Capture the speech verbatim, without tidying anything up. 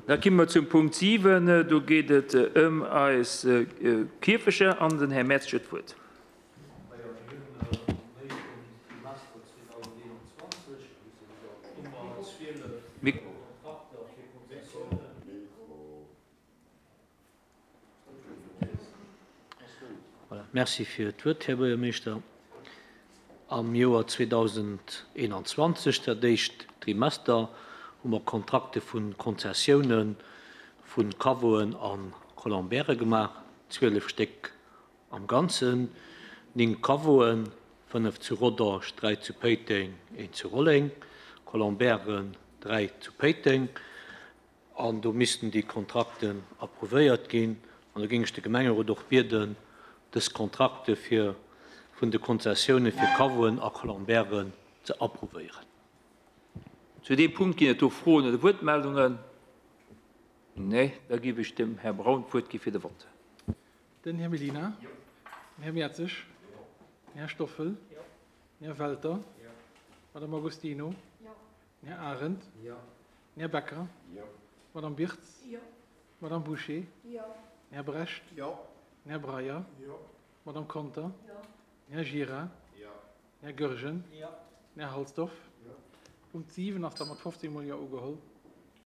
Da komme mer zum Punkt siwen. Do geet et ëm eis Kierfecher an den Här Mertz huet d'Wuert. Merci fir d'Wuert, Här Buergermeeschter. Am Joer zweedausendeenanzwanzeg, dat éischt Trimester, hu mer Kontrakte vu Konzessioune vu Caveauen a Colombièrë gemaach, zwielef Stéck am Ganzen, néng Caveauen, fënnef zu Rodange, dräi zu Péiteng, een zu Rolleng, Colombièren dräi zu Péiteng. An do missten déi Kontrakten approuvéiert ginn. An do géing ech de Gemengerot och bieden, dës Kontrakte fir vun de Konzessioune fir Caveauen a Colombièren ze approuvéieren. Zu deem Punkt ginn et do Froen oder Wuertmeldungen? Nee, da géif ech dem Här Braun d'Wuert gi fir de Vott. Den Här Mellina. Den Här Mertzig. Den Här Stoffel. Den Här Welter. Madame Agostino. Den Här Arendt. Den Här Becker. Madame Birtz. Madame Bouché. Den Här Brecht. Den Här Breyer. Madame Conter. Den Här Gira. Den Här Goergen. Den Här Halsdorf. Punkt siwen ass da mat fofzéng Mol Jo ugeholl.